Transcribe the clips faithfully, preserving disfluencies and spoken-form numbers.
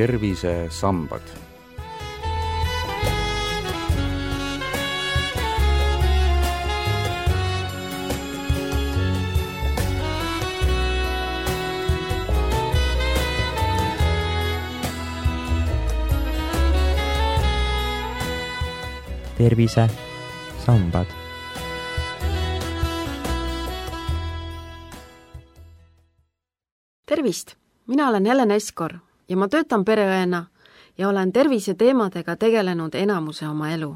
tervisesambad. tervisesambad. Tervist! Mina olen Helen Eskor ja ma töötan pereõena ja olen terviseteemadega tegelenud enamuse oma elu.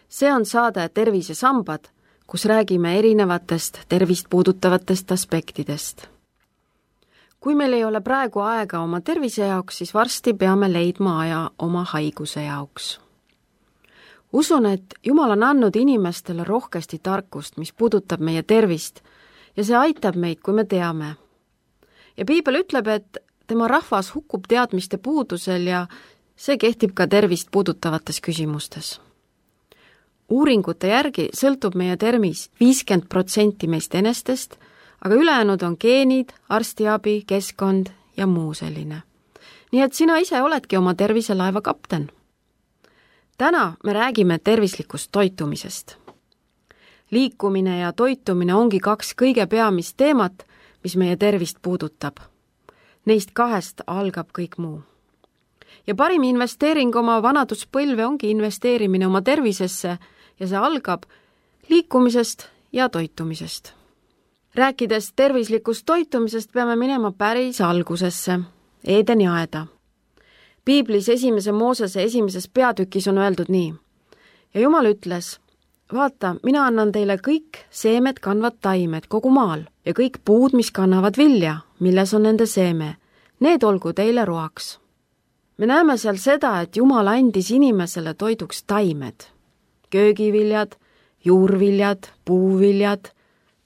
See on saade Tervisesambad, kus räägime erinevatest tervist puudutavatest aspektidest. Kui meil ei ole praegu aega oma tervise jaoks, siis varsti peame leidma aja oma haiguse jaoks. Usun, et Jumal on andnud inimestele rohkesti tarkust, mis puudutab meie tervist ja see aitab meid, kui me teame. Ja Piibel ütleb, et tema rahvas hukkub teadmiste puudusel ja see kehtib ka tervist puudutavates küsimustes. Uuringute järgi sõltub meie tervis viiskümmend protsenti meist enestest, aga ülejäänud on geenid, arstiabi, keskkond ja muu selline. Nii et sina ise oledki oma terviselaeva kapten. Täna me räägime tervislikust toitumisest. Liikumine ja toitumine ongi kaks kõige peamist teemat, mis meie tervist puudutab. Neist kahest algab kõik muu. Ja parim investeering oma vanaduspõlve ongi investeerimine oma tervisesse ja see algab liikumisest ja toitumisest. Rääkides tervislikust toitumisest peame minema päris algusesse, Eedeni aeda. Piiblis esimese Moosese esimeses peatükis on öeldud nii. Ja Jumal ütles, vaata, mina annan teile kõik seemed kandvad taimed kogu maal ja kõik puud, mis kannavad vilja, milles on nende seeme. Need olgu teile roaks. Me näeme seal seda, et Jumal andis inimesele toiduks taimed. Köögiviljad, juurviljad, puuviljad,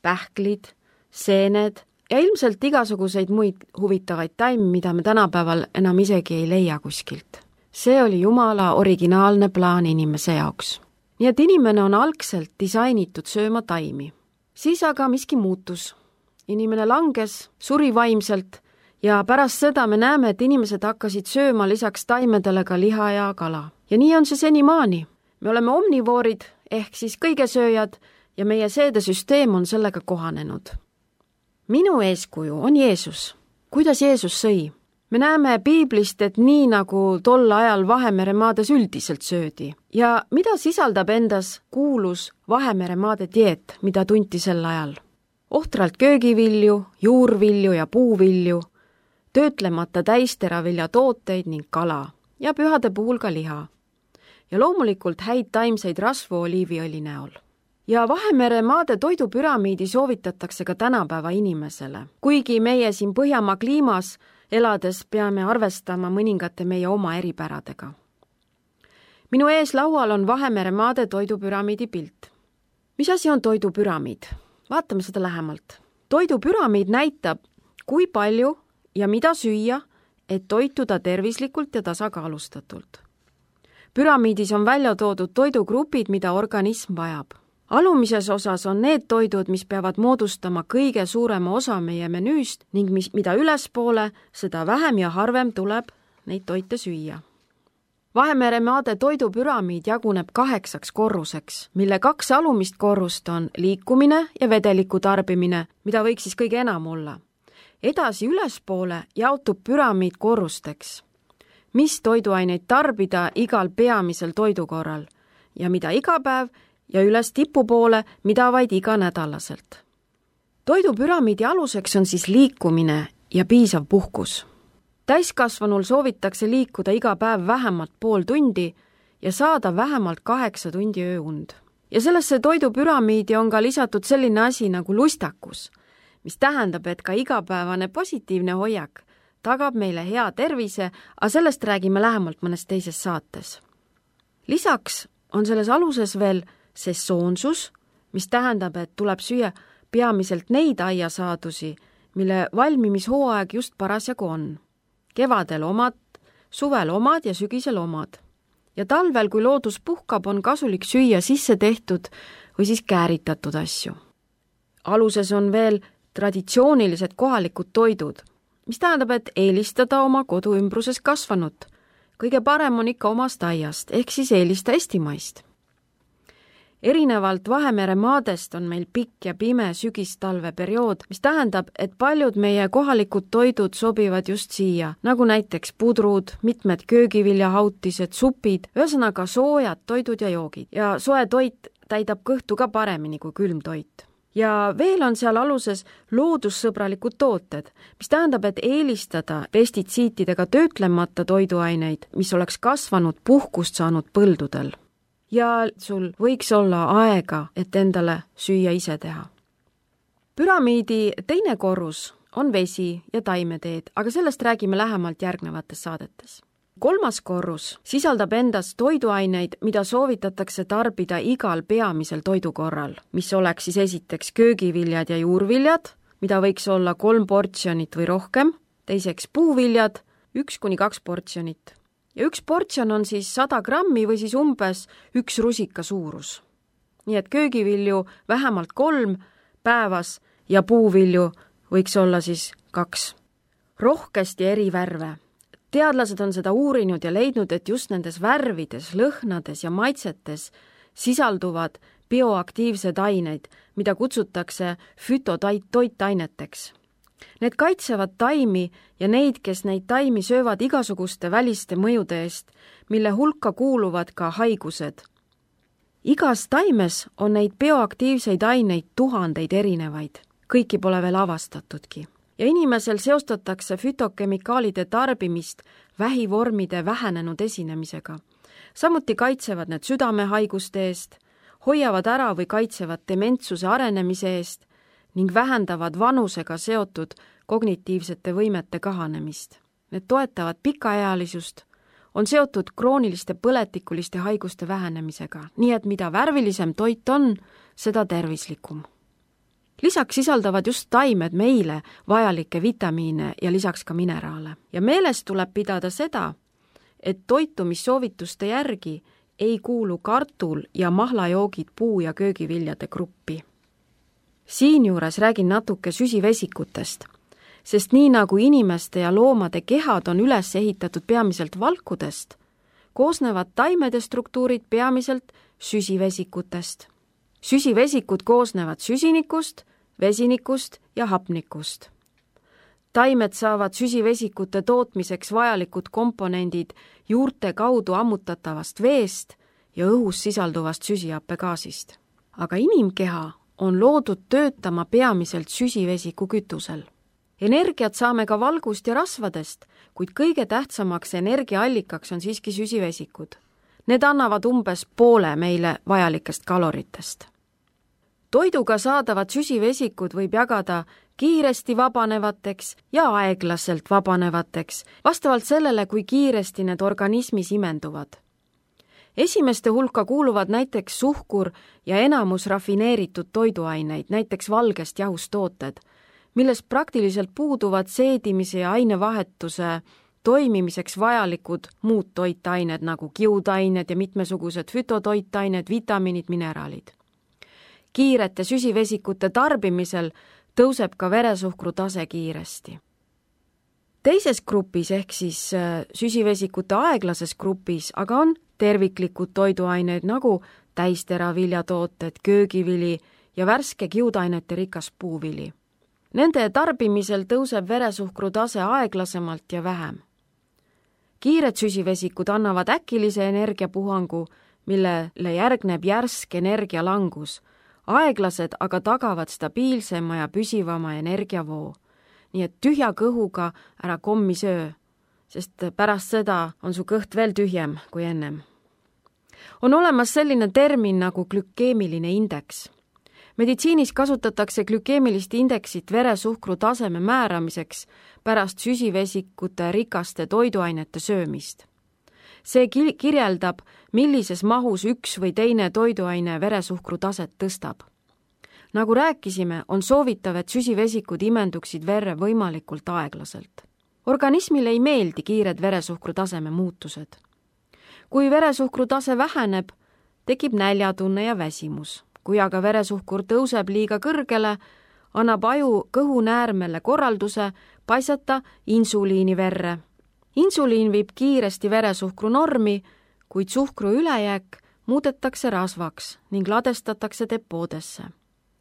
pähklid, seened ja ilmselt igasuguseid muid huvitavaid taimi, mida me tänapäeval enam isegi ei leia kuskilt. See oli Jumala originaalne plaan inimese jaoks. Nii et inimene on algselt disainitud sööma taimi. Siis aga miski muutus. Inimene langes, suri vaimselt ja pärast seda me näeme, et inimesed hakkasid sööma lisaks taimedele ka liha ja kala. Ja nii on see senimaani. Me oleme omnivoorid ehk siis kõigesööjad ja meie seedesüsteem on sellega kohanenud. Minu eeskuju on Jeesus. Kuidas Jeesus sõi? Me näeme Piiblist, et nii nagu tol ajal Vahemere maades üldiselt söödi. Ja mida sisaldab endas kuulus Vahemere maade dieet, mida tunti sel ajal? Ohtralt köögivilju, juurvilju ja puuvilju, töötlemata täisteravilja tooteid ning kala ja pühade puhul ka liha. Ja loomulikult häid taimseid rasvu oliiviõli näol. Ja Vahemere maade toidupüramiidi soovitatakse ka tänapäeva inimesele. Kuigi meie siin Põhjamaa kliimas elades peame arvestama mõningate meie oma eripäradega. Minu ees laual on Vahemere maade toidupüramiidi pilt. Mis asi on toidupüramiid? Vaatame seda lähemalt. Toidupüramiid näitab, kui palju ja mida süüa, et toituda tervislikult ja tasakaalustatult. Püramiidis on välja toodud toidugrupid, mida organism vajab. Alumises osas on need toidud, mis peavad moodustama kõige suurema osa meie menüüst ning mis, mida ülespoole, seda vähem ja harvem tuleb neid toite süüa. Vahemere maade toidupüramiid jaguneb kaheksaks korruseks, mille kaks alumist korrust on liikumine ja vedeliku tarbimine, mida võiks siis kõige enam olla. Edasi ülespoole jaotub püramiid korrusteks, mis toiduaineid tarbida igal peamisel toidukorral ja mida iga päev ja üles tipu poole, mida vaid iga nädalaselt. Toidupüramiidi aluseks on siis liikumine ja piisav puhkus. Täiskasvanul soovitakse liikuda iga päev vähemalt pool tundi ja saada vähemalt kaheksa tundi ööund. Ja sellesse toidupüramiidi on ka lisatud selline asi nagu lustakus, mis tähendab, et ka igapäevane positiivne hoiak tagab meile hea tervise, aga sellest räägime lähemalt mõnes teises saates. Lisaks on selles aluses veel sesoonsus, mis tähendab, et tuleb süüa peamiselt neid aiasaadusi, mille valmimishooaeg just parasjagu on. Kevadel omad, suvel omad ja sügisel omad. Ja talvel, kui loodus puhkab, on kasulik süüa sisse tehtud või siis kääritatud asju. Aluses on veel traditsioonilised kohalikud toidud, mis tähendab, et eelistada oma kodu ümbruses kasvanut. Kõige parem on ikka omast aiast, ehk siis eelista eestimaist. Erinevalt Vahemere maadest on meil pikk ja pime sügistalve periood, mis tähendab, et paljud meie kohalikud toidud sobivad just siia, nagu näiteks pudrud, mitmed köögiviljahautised, supid, ühesõnaga soojad toidud ja joogid. Ja soe toit täidab kõhtu ka paremini kui külm toit. Ja veel on seal aluses loodussõbralikud tooted, mis tähendab, et eelistada pestitsiitidega töötlemata toiduaineid, mis oleks kasvanud puhkust saanud põldudel. Ja sul võiks olla aega, et endale süüa ise teha. Püramiidi teine korrus on vesi ja taimeteed, aga sellest räägime lähemalt järgnevates saadetes. Kolmas korrus sisaldab endas toiduaineid, mida soovitatakse tarbida igal peamisel toidukorral, mis oleks siis esiteks köögiviljad ja juurviljad, mida võiks olla kolm portsjonit või rohkem, teiseks puuviljad, üks kuni kaks portsjonit. Ja üks portsjon on siis sada grammi või siis umbes üks rusika suurus. Nii et köögivilju vähemalt kolm päevas ja puuvilju võiks olla siis kaks. Rohkesti eri värve. Teadlased on seda uurinud ja leidnud, et just nendes värvides, lõhnades ja maitsetes sisalduvad bioaktiivsed aineid, mida kutsutakse fütotoitaineteks. Need kaitsevad taimi ja neid, kes neid taimi söövad igasuguste väliste mõjude eest, mille hulka kuuluvad ka haigused. Igas taimes on neid bioaktiivseid aineid tuhandeid erinevaid. Kõiki pole veel avastatudki. Ja inimesel seostatakse fütokemikaalide tarbimist vähivormide vähenenud esinemisega. Samuti kaitsevad need südamehaiguste eest, hoiavad ära või kaitsevad dementsuse arenemise eest ning vähendavad vanusega seotud kognitiivsete võimete kahanemist. Need toetavad pikaealisust, on seotud krooniliste põletikuliste haiguste vähenemisega, nii et mida värvilisem toit on, seda tervislikum. Lisaks sisaldavad just taimed meile vajalikke vitamiine ja lisaks ka mineraale. Ja meeles tuleb pidada seda, et toitumissoovituste järgi ei kuulu kartul ja mahlajoogid puu- ja köögiviljade gruppi. Siinjuures räägin natuke süsivesikutest, sest nii nagu inimeste ja loomade kehad on üles ehitatud peamiselt valkudest, koosnevad taimede struktuurid peamiselt süsivesikutest. Süsivesikud koosnevad süsinikust, vesinikust ja hapnikust. Taimed saavad süsivesikute tootmiseks vajalikud komponendid juurte kaudu ammutatavast veest ja õhus sisalduvast süsihappegaasist. Aga inimkeha on loodud töötama peamiselt süsivesiku kütusel. Energiat saame ka valgust ja rasvadest, kuid kõige tähtsamaks energiaallikaks on siiski süsivesikud. Need annavad umbes poole meile vajalikest kaloritest. Toiduga saadavad süsivesikud võib jagada kiiresti vabanevateks ja aeglaselt vabanevateks, vastavalt sellele, kui kiiresti need organismis imenduvad. Esimeste hulka kuuluvad näiteks suhkur ja enamus rafineeritud toiduaineid, näiteks valgest jahust tooted, millest praktiliselt puuduvad seedimise ja ainevahetuse toimimiseks vajalikud muud toitained nagu kiudained ja mitmesugused fütotoitained, vitamiinid, mineraalid. Kiirete süsivesikute tarbimisel tõuseb ka veresuhkru tase kiiresti. Teises grupis ehk siis süsivesikute aeglases grupis aga on terviklikud toiduaineid nagu täisteraviljatooted, köögivili ja värske kiudainete rikas puuvili. Nende tarbimisel tõuseb veresuhkru tase aeglasemalt ja vähem. Kiired süsivesikud annavad äkilise energiapuhangu, millele järgneb järsk energialangus. Aeglased aga tagavad stabiilsema ja püsivama energiavoo. Nii et tühja kõhuga ära kommi söö, sest pärast seda on su kõht veel tühjem kui ennem. On olemas selline termin nagu glükeemiline indeks. Meditsiinis kasutatakse glükeemilist indeksit veresuhkru taseme määramiseks pärast süsivesikute rikaste toiduainete söömist. See kirjeldab, millises mahus üks või teine toiduaine veresuhkru taset tõstab. Nagu rääkisime, on soovitav, et süsivesikud imenduksid verre võimalikult aeglaselt. Organismile ei meeldi kiired veresuhkru taseme muutused. Kui veresuhkru tase väheneb, tekib näljatunne ja väsimus. Kui aga veresuhkur tõuseb liiga kõrgele, annab aju kõhunäärmele korralduse paisata insuliini verre. Insuliin viib kiiresti veresuhkru normi, kuid suhkru ülejääk muudetakse rasvaks ning ladestatakse depoodesse.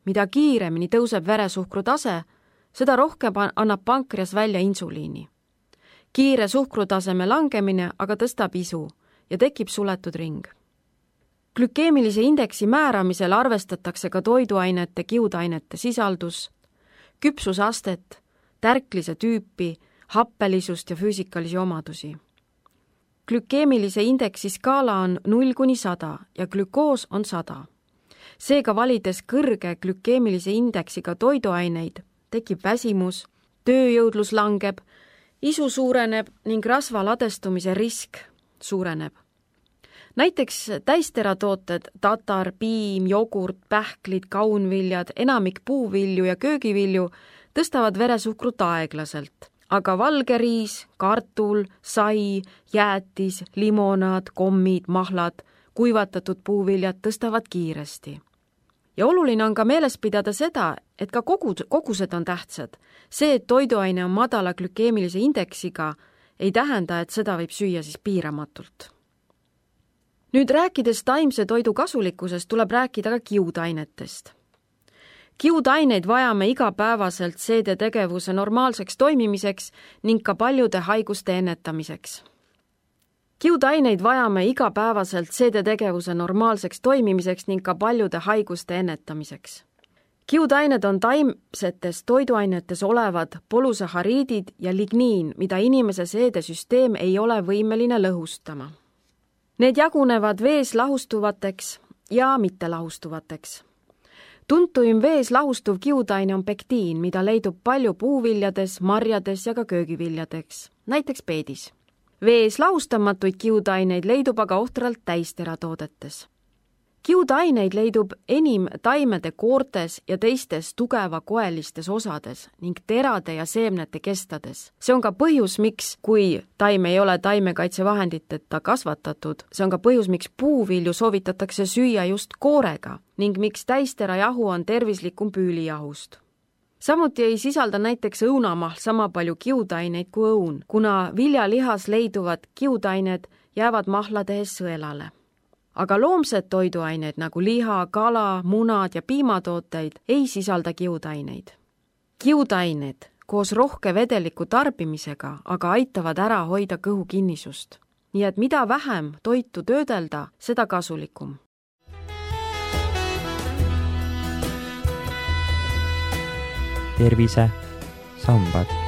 Mida kiiremini tõuseb veresuhkru tase, seda rohkem annab pankreas välja insuliini. Kiire suhkrutaseme langemine aga tõstab isu ja tekib suletud ring. Glükeemilise indeksi määramisel arvestatakse ka toiduainete, kiudainete sisaldus, küpsusastet, tärklise tüüpi, happelisust ja füüsikalisi omadusi. Glükeemilise indeksi skaala on null kuni sada ja glükoos on sada. Seega valides kõrge glükeemilise indeksiga toiduaineid, tekib väsimus, tööjõudlus langeb, isu suureneb ning rasva ladestumise risk suureneb. Näiteks täisteratooted, tatar, piim, jogurt, pähklid, kaunviljad, enamik puuvilju ja köögivilju tõstavad veresuhkrut aeglaselt, aga valge riis, kartul, sai, jäätis, limonaad, kommid, mahlad, kuivatatud puuviljad tõstavad kiiresti. Ja oluline on ka meeles pidada seda, et ka kogud, kogused on tähtsad. See, et toiduaine on madala glükeemilise indeksiga, ei tähenda, et seda võib süüa siis piiramatult. Nüüd rääkides taimse toidu kasulikkusest, tuleb rääkida ka kiudainetest. Kiudaineid vajame igapäevaselt seedetegevuse normaalseks toimimiseks ning ka paljude haiguste ennetamiseks. Kiudaineid vajame igapäevaselt seedetegevuse normaalseks toimimiseks ning ka paljude haiguste ennetamiseks. Kiudained on taimsetes toiduainetes olevad polusahariidid ja ligniin, mida inimese seedesüsteem ei ole võimeline lõhustama. Need jagunevad vees lahustuvateks ja mittelahustuvateks. Tuntuim vees lahustuv kiudaine on pektiin, mida leidub palju puuviljades, marjades ja ka köögiviljadeks, näiteks peedis. Vees lahustamatuid kiudaineid leidub aga ohtralt täisteratoodetes. Kiudaineid leidub enim taimede koortes ja teistes tugeva koelistes osades ning terade ja seemnete kestades. See on ka põhjus, miks, kui taim ei ole taimekaitsevahenditeta kasvatatud, see on ka põhjus, miks puuvilju soovitatakse süüa just koorega ning miks täisterajahu on tervislikum püülijahust. Samuti ei sisalda näiteks õunamahl sama palju kiudaineid kui õun, kuna viljalihas leiduvad kiudained jäävad mahlades sõelale. Aga loomsed toiduaineid nagu liha, kala, munad ja piimatooteid ei sisalda kiudaineid. Kiudained koos rohke vedeliku tarbimisega aga aitavad ära hoida kõhu kinnisust. Nii et mida vähem toitu töödelda, seda kasulikum. Tervise sambad.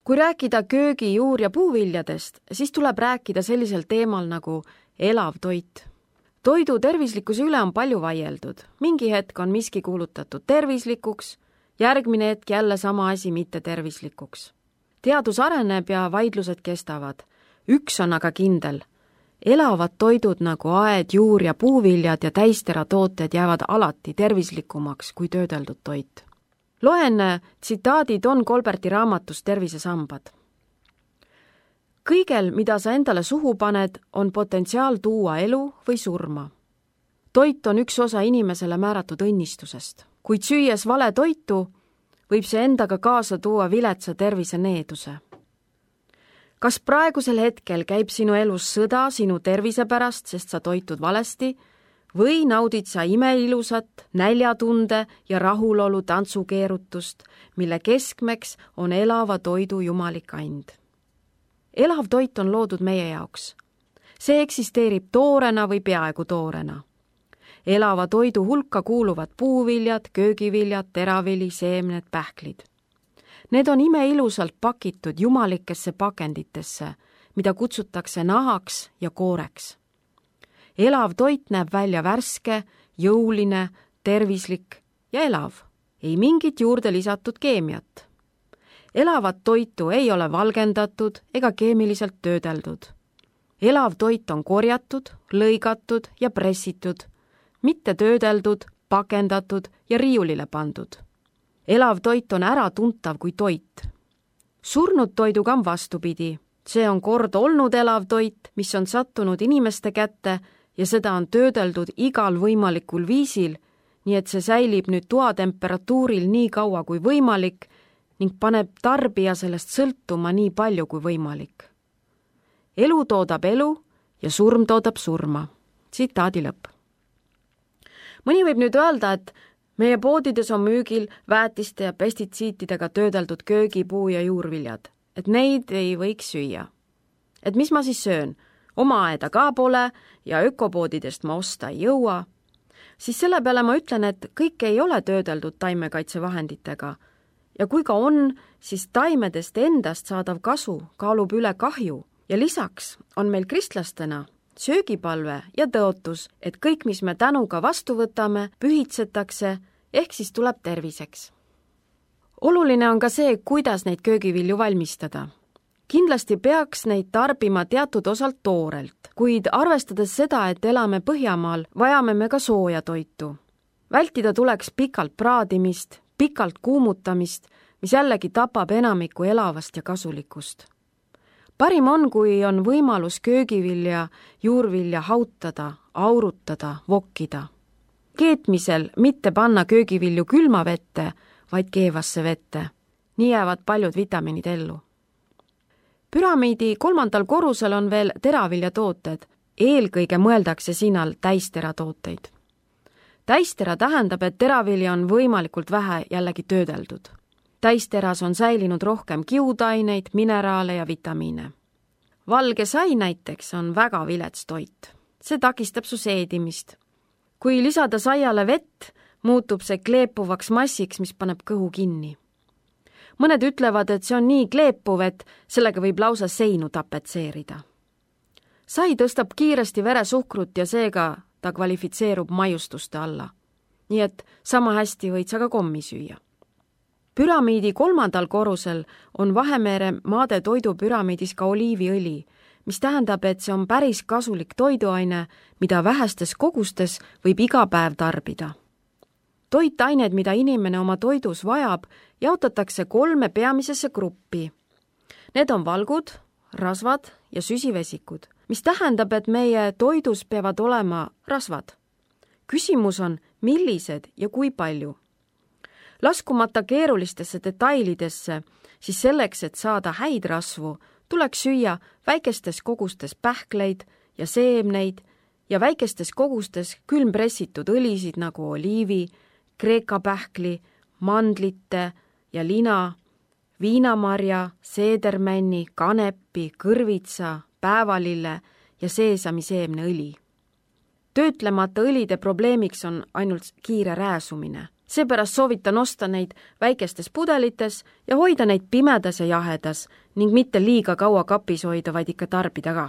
Kui rääkida köögi, juur- ja puuviljadest, siis tuleb rääkida sellisel teemal nagu elav toit. Toidu tervislikkuse üle on palju vaieldud. Mingi hetk on miski kuulutatud tervislikuks, järgmine hetk jälle sama asi mitte tervislikuks. Teadus areneb ja vaidlused kestavad. Üks on aga kindel. Elavad toidud nagu aed, juur- ja puuviljad ja täisteratooted jäävad alati tervislikumaks kui töödeldud toit. Loen tsitaadi Don Colberti raamatust Tervisesambad. Kõigel, mida sa endale suhu paned, on potentsiaal tuua elu või surma. Toit on üks osa inimesele määratud õnnistusest. Kuid süües vale toitu, võib see endaga kaasa tuua viletsa tervise needuse. Kas praegusel hetkel käib sinu elus sõda sinu tervise pärast, sest sa toitud valesti, või naudid sa imeilusat, näljatunde ja rahulolu tantsukeerutust, mille keskmeks on elava toidu jumalik and. Elav toit on loodud meie jaoks. See eksisteerib toorena või peaaegu toorena. Elava toidu hulka kuuluvad puuviljad, köögiviljad, teravili, seemned, pähklid. Need on imeilusalt pakitud jumalikesse pakenditesse, mida kutsutakse nahaks ja kooreks. Elav toit näeb välja värske, jõuline, tervislik ja elav. Ei mingit juurde lisatud keemiat. Elavat toitu ei ole valgendatud ega keemiliselt töödeldud. Elav toit on korjatud, lõigatud ja pressitud, mitte töödeldud, pakendatud ja riiulile pandud. Elav toit on äratuntav kui toit. surnud toiduga on vastupidi. See on kord olnud elav toit, mis on sattunud inimeste kätte ja seda on töödeldud igal võimalikul viisil, nii et see säilib nüüd toatemperatuuril nii kaua kui võimalik ning paneb tarbija sellest sõltuma nii palju kui võimalik. Elu toodab elu ja surm toodab surma. Tsitaadi lõpp. Mõni võib nüüd öelda, et meie poodides on müügil väetiste ja pestitsiitidega töödeldud köögipuu ja juurviljad, et neid ei võiks süüa. Et mis ma siis söön? Oma aeda ka pole ja ökopoodidest ma osta ei jõua. Siis selle peale ma ütlen, et kõik ei ole töödeldud taimekaitsevahenditega ja kui ka on, siis taimedest endast saadav kasu kaalub üle kahju ja lisaks on meil kristlastena söögipalve ja tõotus, et kõik, mis me tänuga vastu võtame, pühitsetakse ehk siis tuleb terviseks. Oluline on ka see, kuidas neid köögivilju valmistada. Kindlasti peaks neid tarbima teatud osalt toorelt, kuid arvestades seda, et elame Põhjamaal, vajame me ka sooja toitu. Vältida tuleks pikalt praadimist, pikalt kuumutamist, mis jällegi tapab enamiku elavast ja kasulikust. Parim on, kui on võimalus köögivilja, juurvilja hautada, aurutada, vokkida. Keetmisel mitte panna köögivilju külma vette, vaid keevasse vette. Nii jäävad paljud vitamiinid ellu. Püramiidi kolmandal korrusel on veel teraviljatooted. Eelkõige mõeldakse sinal täisteratooteid. Täistera tähendab, et teravilja on võimalikult vähe jällegi töödeldud. Täisteras on säilinud rohkem kiudaineid, mineraale ja vitamiine. Valge sai näiteks on väga vilets toit. See takistab su seedimist. Kui lisada saiale vett, muutub see kleepuvaks massiks, mis paneb kõhu kinni. Mõned ütlevad, et see on nii kleepuv, et sellega võib lausa seinu tapetseerida. Sai tõstab kiiresti veresuhkrut ja seega ta kvalifitseerub maiustuste alla. Nii et sama hästi võid sa ka kommi süüa. Püramiidi kolmandal korrusel on Vahemere maade toidupüramiidis ka oliiviõli, mis tähendab, et see on päris kasulik toiduaine, mida vähestes kogustes võib iga päev tarbida. Toitained, mida inimene oma toidus vajab, jaotatakse kolme peamisesse gruppi. Need on valgud, rasvad ja süsivesikud, mis tähendab, et meie toidus peavad olema rasvad. Küsimus on, millised ja kui palju. Laskumata keerulistesse detailidesse, siis selleks, et saada häid rasvu, tuleks süüa väikestes kogustes pähkleid ja seemneid ja väikestes kogustes külmpressitud õlisid nagu oliivi, kreeka pähkli, mandlite ja lina, viinamarja, seedermänni, kanepi, kõrvitsa, päevalille ja seesamiseemneõli. Töötlemata õlide probleemiks on ainult kiire rääsumine. Seepärast soovitan osta neid väikestes pudelites ja hoida neid pimedas ja jahedas ning mitte liiga kaua kapis hoida, vaid ikka tarbida ka.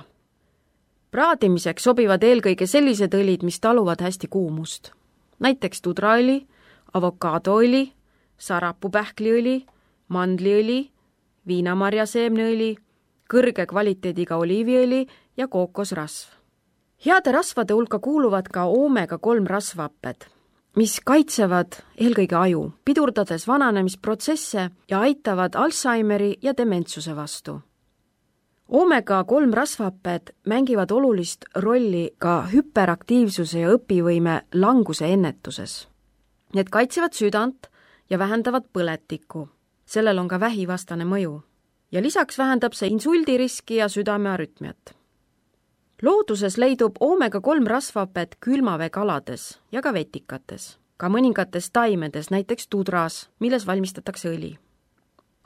Praadimiseks sobivad eelkõige sellised õlid, mis taluvad hästi kuumust. Näiteks tudraõli, avokaadoõli, sarapupähkliõli, mandliõli, viinamarjaseemneõli, kõrge kvaliteediga oliiviõli ja kookosrasv. Heade rasvade hulka kuuluvad ka oomega kolm rasvahapped, mis kaitsevad eelkõige aju, pidurdades vananemisprotsesse ja aitavad Alzheimeri ja dementsuse vastu. Oomega kolm rasvahapped mängivad olulist rolli ka hüperaktiivsuse ja õpivõime languse ennetuses. Need kaitsevad südant ja vähendavad põletikku. Sellel on ka vähivastane mõju. Ja lisaks vähendab see insuldiriski ja südamearütmiat. Looduses leidub oomega kolm rasvahapet külmaveekalades ja ka vetikates, ka mõningates taimedes, näiteks tudras, milles valmistatakse õli.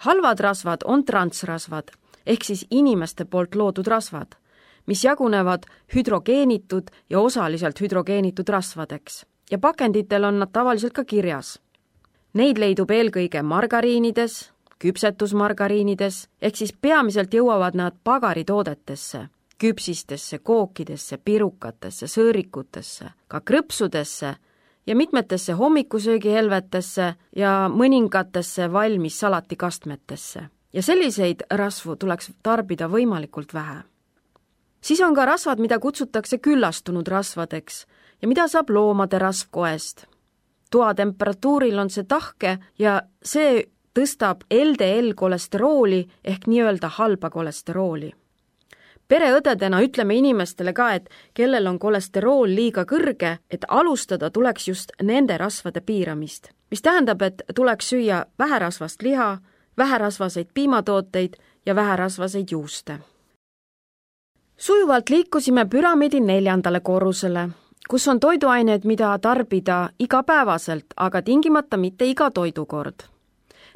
Halvad rasvad on transrasvad, ehk siis inimeste poolt loodud rasvad, mis jagunevad hüdrogeenitud ja osaliselt hüdrogeenitud rasvadeks ja pakenditel on nad tavaliselt ka kirjas. Neid leidub eelkõige margariinides, küpsetusmargariinides, ehk siis peamiselt jõuavad nad pagaritoodetesse, küpsistesse, kookidesse, pirukatesse, sõõrikutesse, ka krõpsudesse ja mitmetesse hommikusöögihelvetesse ja mõningatesse valmis salatikastmetesse. Ja selliseid rasvu tuleks tarbida võimalikult vähe. Siis on ka rasvad, mida kutsutakse küllastunud rasvadeks ja mida saab loomade rasvkoest. Toatemperatuuril on see tahke ja see tõstab L D L-kolesterooli ehk nii-öelda halba kolesterooli. Pereõdedena ütleme inimestele ka, et kellel on kolesterool liiga kõrge, et alustada tuleks just nende rasvade piiramist, mis tähendab, et tuleks süüa väherasvast liha, väherasvaseid piimatooteid ja väherasvaseid juuste. Sujuvalt liikusime püramiidi neljandale korrusele, kus on toiduained, mida tarbida igapäevaselt, aga tingimata mitte iga toidukord.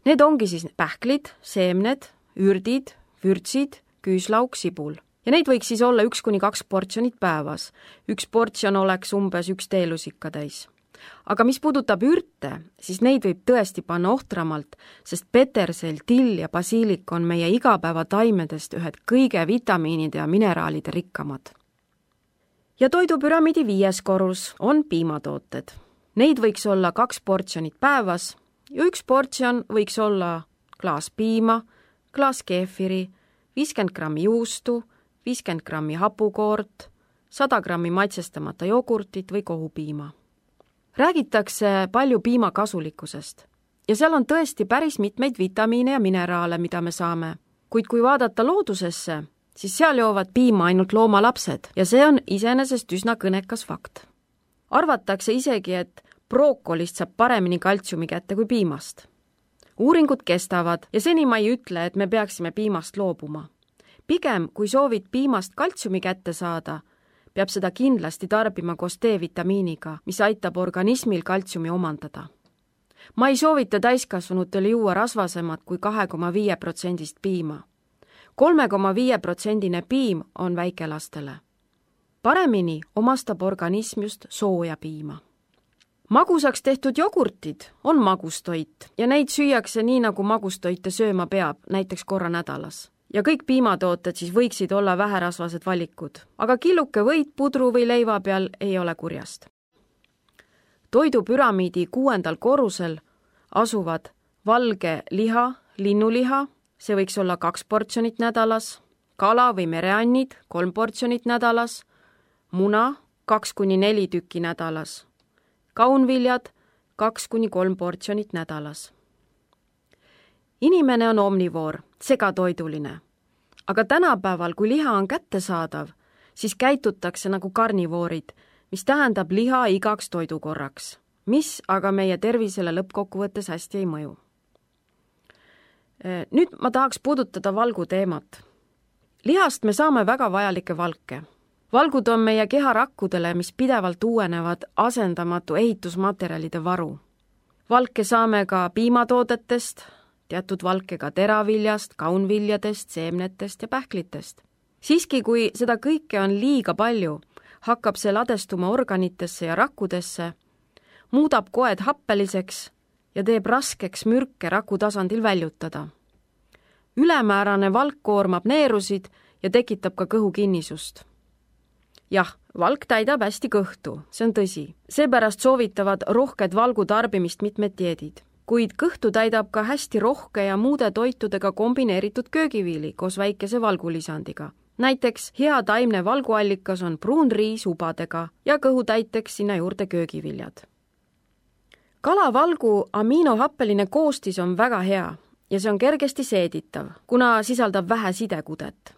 Need ongi siis pähklid, seemned, ürdid, vürtsid, küüslauk, sibul. Ja neid võiks siis olla üks kuni kaks portsjonit päevas. Üks portsjon oleks umbes üks teelusikka täis. Aga mis puudutab ürte, siis neid võib tõesti panna ohtramalt, sest petersel, till ja basiilik on meie igapäeva taimedest ühed kõige vitamiinide ja mineraalide rikkamad. Ja toidupüramiidi viies korrus on piimatooted. Neid võiks olla kaks portsjonit päevas ja üks portsjon võiks olla klaas piima, klaas keefiri, viiskümmend grammi juustu, viiskümmend grammi hapukoort, sada grammi maitsestamata jogurtit või kohupiima. Räägitakse palju piima kasulikkusest ja seal on tõesti päris mitmeid vitamiine ja mineraale, mida me saame. Kuid kui vaadata loodusesse, siis seal joovad piima ainult loomalapsed ja see on iseenesest üsna kõnekas fakt. Arvatakse isegi, et brookolist saab paremini kaltsiumi kätte kui piimast. Uuringud kestavad ja seni ma ei ütle, et me peaksime piimast loobuma. Pigem, kui soovid piimast kaltsiumi kätte saada, peab seda kindlasti tarbima koos D-vitamiiniga, mis aitab organismil kaltsiumi omandada. Ma ei soovita täiskasvanutele juua rasvasemat kui kaks koma viis protsendist piima. kolm koma viis protsendine piim on väikelastele. Paremini omastab organism just sooja piima. Magusaks tehtud jogurtid on magustoit ja neid süüakse nii, nagu magustoite sööma peab, näiteks korra nädalas. Ja kõik piimatooted siis võiksid olla väherasvased valikud, aga killuke võit pudru või leiva peal ei ole kurjast. Toidupüramiidi kuuendal korrusel asuvad valge liha, linnuliha, see võiks olla kaks portsjonit nädalas, kala või mereannid, kolm portsjonit nädalas, muna, kaks kuni neli tükki nädalas, kaunviljad, kaks kuni kolm portsjonit nädalas. Inimene on omnivoor, segatoiduline. Aga tänapäeval, kui liha on kättesaadav, siis käitutakse nagu karnivoorid, mis tähendab liha igaks toidukorraks, mis aga meie tervisele lõppkokkuvõttes hästi ei mõju. Nüüd ma tahaks puudutada valgu teemat. Lihast me saame väga vajalikke valke. Valgud on meie keharakkudele, mis pidevalt uuenevad asendamatu ehitusmaterjalide varu. Valke saame ka piimatoodetest, teatud valke ka teraviljast, kaunviljadest, seemnetest ja pähklitest. Siiski, kui seda kõike on liiga palju, hakkab see ladestuma organitesse ja rakkudesse, muudab koed happeliseks ja teeb raskeks mürke raku tasandil väljutada. Ülemäärane valk koormab neerusid ja tekitab ka kõhukinnisust. Jah, valk täidab hästi kõhtu, see on tõsi. Seepärast soovitavad rohked valgu tarbimist mitmed dieedid. Kuid kõhtu täidab ka hästi rohke ja muude toitudega kombineeritud köögiviili koos väikese valgulisandiga. Näiteks hea taimne valguallikas on pruun riis ubadega ja kõhutäiteks sinna juurde köögiviljad. Kalavalgu amiinohappeline koostis on väga hea ja see on kergesti seeditav, kuna sisaldab vähe sidekudet.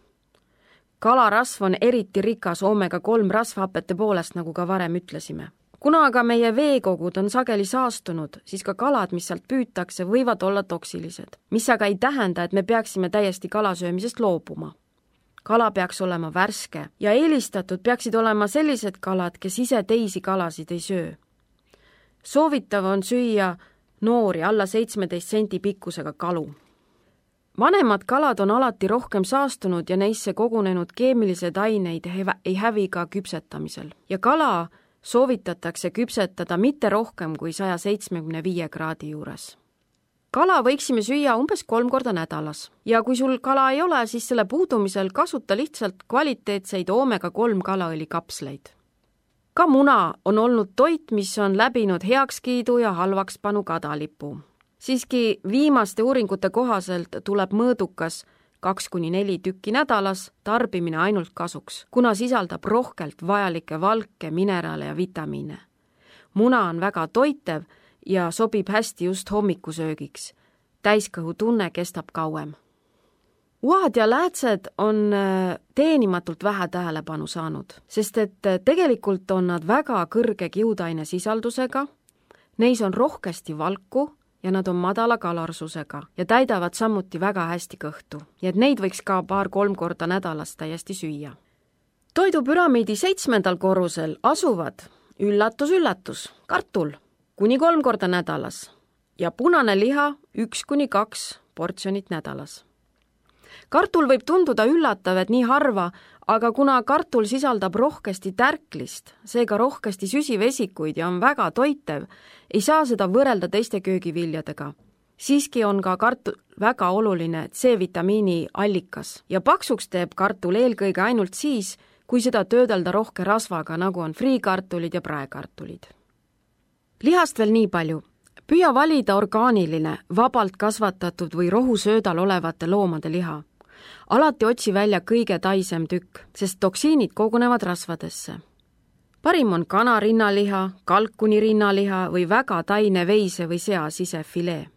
Kalarasv on eriti rikas oomega kolm rasvhapete poolest, nagu ka varem ütlesime. Kuna aga meie veekogud on sageli saastunud, siis ka kalad, mis sealt püütakse, võivad olla toksilised, mis aga ei tähenda, et me peaksime täiesti kalasöömisest loobuma. Kala peaks olema värske ja eelistatud peaksid olema sellised kalad, kes ise teisi kalasid ei söö. Soovitav on süüa noori alla seitsmeteist senti pikkusega kalu. Vanemad kalad on alati rohkem saastunud ja neisse kogunenud keemilised aineid ei hävi ka küpsetamisel. Ja kala soovitatakse küpsetada mitte rohkem kui saja seitsmekümne viie kraadi juures. Kala võiksime süüa umbes kolm korda nädalas ja kui sul kala ei ole, siis selle puudumisel kasuta lihtsalt kvaliteetseid oomega kolm kalaõli kapsleid. Ka muna on olnud toit, mis on läbinud heakskiidu ja halvakspanu kadalipu. Siiski viimaste uuringute kohaselt tuleb mõõdukas kaks kuni neli tükki nädalas tarbimine ainult kasuks, kuna sisaldab rohkelt vajalikke valke, mineraale ja vitamiine. Muna on väga toitev ja sobib hästi just hommikusöögiks. täiskõhutunne kestab kauem. Uhad ja läätsed on teenimatult vähe tähelepanu saanud, sest et tegelikult on nad väga kõrge kiudaine sisaldusega, neis on rohkesti valku ja nad on madala kalarsusega ja täidavad samuti väga hästi kõhtu, ja et neid võiks ka paar-kolm korda nädalas täiesti süüa. Toidupüramiidi seitsmendal korrusel asuvad üllatus-üllatus, kartul kuni kolm korda nädalas ja punane liha üks kuni kaks portsjonit nädalas. Kartul võib tunduda üllatav, et nii harva, aga kuna kartul sisaldab rohkesti tärklist, seega rohkesti süsivesikuid ja on väga toitev, ei saa seda võrrelda teiste köögiviljadega. Siiski on ka kartul väga oluline C-vitamiini allikas ja paksuks teeb kartul eelkõige ainult siis, kui seda töödelda rohke rasvaga, nagu on friikartulid ja praekartulid. Lihast veel nii palju. Püüa valida orgaaniline, vabalt kasvatatud või rohusöödal olevate loomade liha. Alati otsi välja kõige taisem tükk, sest toksiinid kogunevad rasvadesse. Parim on kana rinnaliha, kalkuni rinnaliha või väga taine veise või sea sisefilee.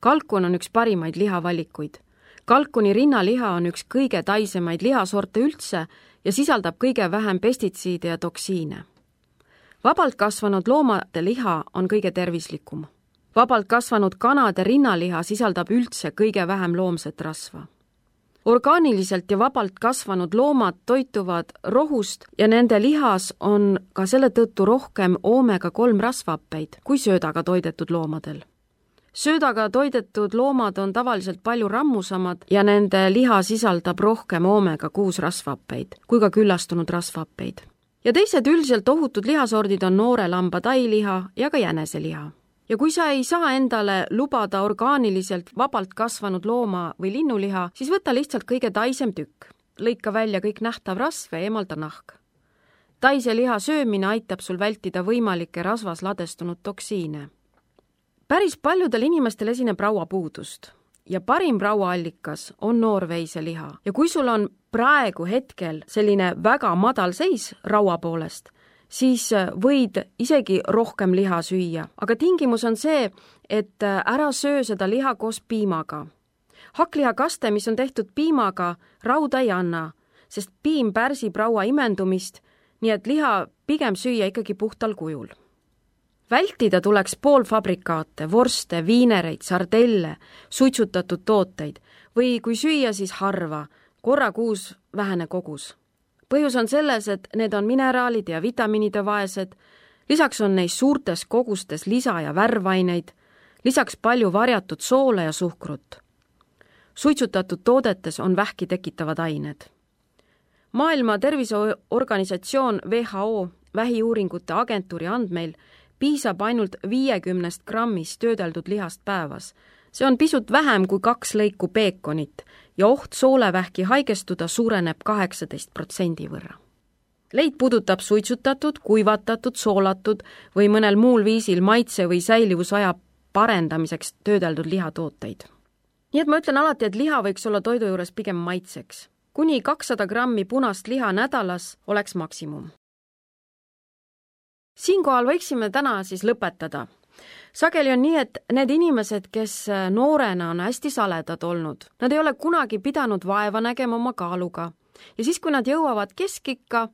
Kalkun on üks parimaid lihavalikuid. Kalkuni rinnaliha on üks kõige taisemaid lihasorte üldse ja sisaldab kõige vähem pestitsiide ja toksiine. Vabalt kasvanud loomade liha on kõige tervislikum. Vabalt kasvanud kanade rinnaliha sisaldab üldse kõige vähem loomset rasva. Orgaaniliselt ja vabalt kasvanud loomad toituvad rohust ja nende lihas on ka selle tõttu rohkem oomega kolm rasvhappeid kui söödaga toidetud loomadel. Söödaga toidetud loomad on tavaliselt palju rammusamad ja nende liha sisaldab rohkem oomega kuus rasvhappeid kui ka küllastunud rasvhappeid. Ja teised üldiselt ohutud lihasordid on noore lamba tailiha ja ka jäneseliha. Ja kui sa ei saa endale lubada orgaaniliselt vabalt kasvanud looma või linnuliha, siis võta lihtsalt kõige taisem tükk. Lõika välja kõik nähtav rasv ja eemalda nahk. Taise liha söömine aitab sul vältida võimalikke rasvas ladestunud toksiine. Päris paljudel inimestel esineb rauapuudust ja parim rauaallikas on noorveiseliha. Ja kui sul on praegu hetkel selline väga madal seis raua poolest, siis võid isegi rohkem liha süüa. Aga tingimus on see, et ära söö seda liha koos piimaga. Hakklihakaste, mis on tehtud piimaga, rauda ei anna, sest piim pärsib raua imendumist, nii et liha pigem süüa ikkagi puhtal kujul. Vältida tuleks poolfabrikaate, vorste, viinereid, sardelle, suitsutatud tooteid või kui süüa, siis harva, korra kuus vähene kogus. Põhjus on selles, et need on mineraalid ja vitamiinide vaesed, lisaks on neis suurtes kogustes lisa- ja värvaineid, lisaks palju varjatud soole ja suhkrut. Suitsutatud toodetes on vähki tekitavad ained. Maailma Terviseorganisatsioon W H O vähiuuringute agentuuri andmeil piisab ainult viiekümnest grammist töödeldud lihast päevas. See on pisut vähem kui kaks lõiku peekonit ja oht soolevähki haigestuda suureneb kaheksateist protsendi võrra. Leid puudutab suitsutatud, kuivatatud, soolatud või mõnel muul viisil maitse või säilivusaja parendamiseks töödeldud lihatooteid. Nii et ma ütlen alati, et liha võiks olla toidu juures pigem maitseks. Kuni kakssada grammi punast liha nädalas oleks maksimum. Siinkohal võiksime täna siis lõpetada. Sageli on nii, et need inimesed, kes noorena on hästi saledad olnud, nad ei ole kunagi pidanud vaeva nägema oma kaaluga. Ja siis, kui nad jõuavad keskikka,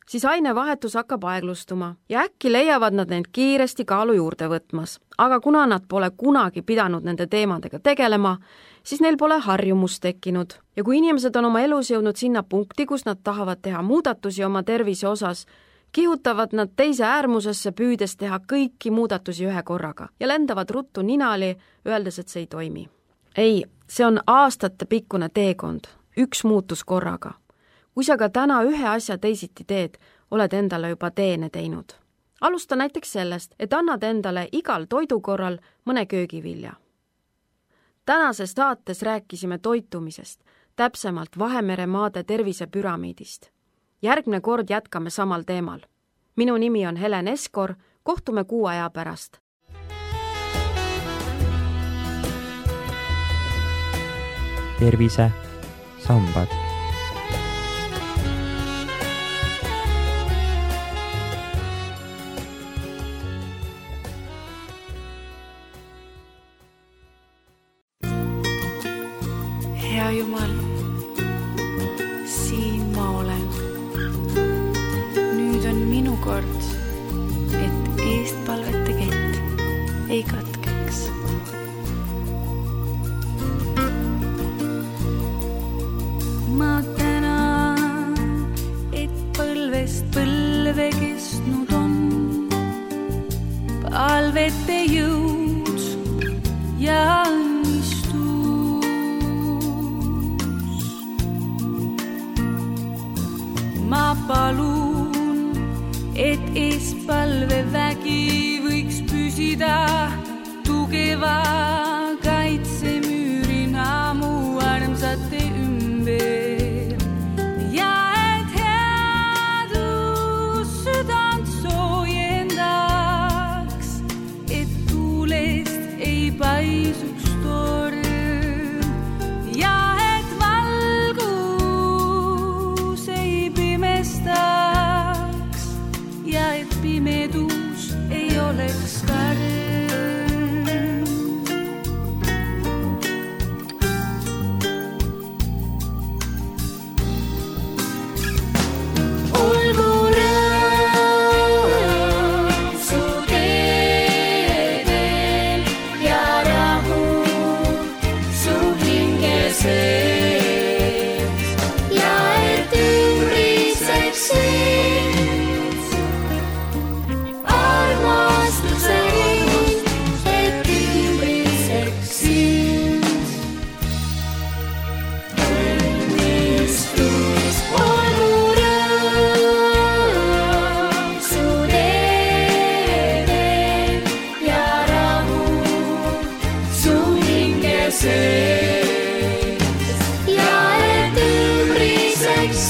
siis ainevahetus hakkab aeglustuma ja äkki leiavad nad neid kiiresti kaalu juurde võtmas. Aga kuna nad pole kunagi pidanud nende teemadega tegelema, siis neil pole harjumus tekkinud. Ja kui inimesed on oma elus jõudnud sinna punkti, kus nad tahavad teha muudatusi oma tervise osas, kihutavad nad teise äärmusesse püüdes teha kõiki muudatusi ühe korraga ja lendavad ruttu ninali, öeldes, et see ei toimi. Ei, see on aastate pikkune teekond, üks muutus korraga. Kui sa ka täna ühe asja teisiti teed, oled endale juba teene teinud. Alusta näiteks sellest, et annad endale igal toidukorral mõne köögivilja. Tänases saates rääkisime toitumisest, täpsemalt Vahemere maade tervisepüramiidist. Järgmine kord jätkame samal teemal. Minu nimi on Helen Eskor, kohtume kuu aja pärast. Tervise sambad. kord, et eestpalvete kett ei katkeks. Ma tänan, et põlvest põlve kestnud on palvete jõud ja õnnistus. Ma palun, et eespalve vägi võiks püsida tugeva kaitsemüürina mu armsate ümber ja et headus südant soojendaks, et tuulest ei paisuks torm ja et valgus ei pimestaks ja et pimedus ei oleks karm. Ja et ümbriseks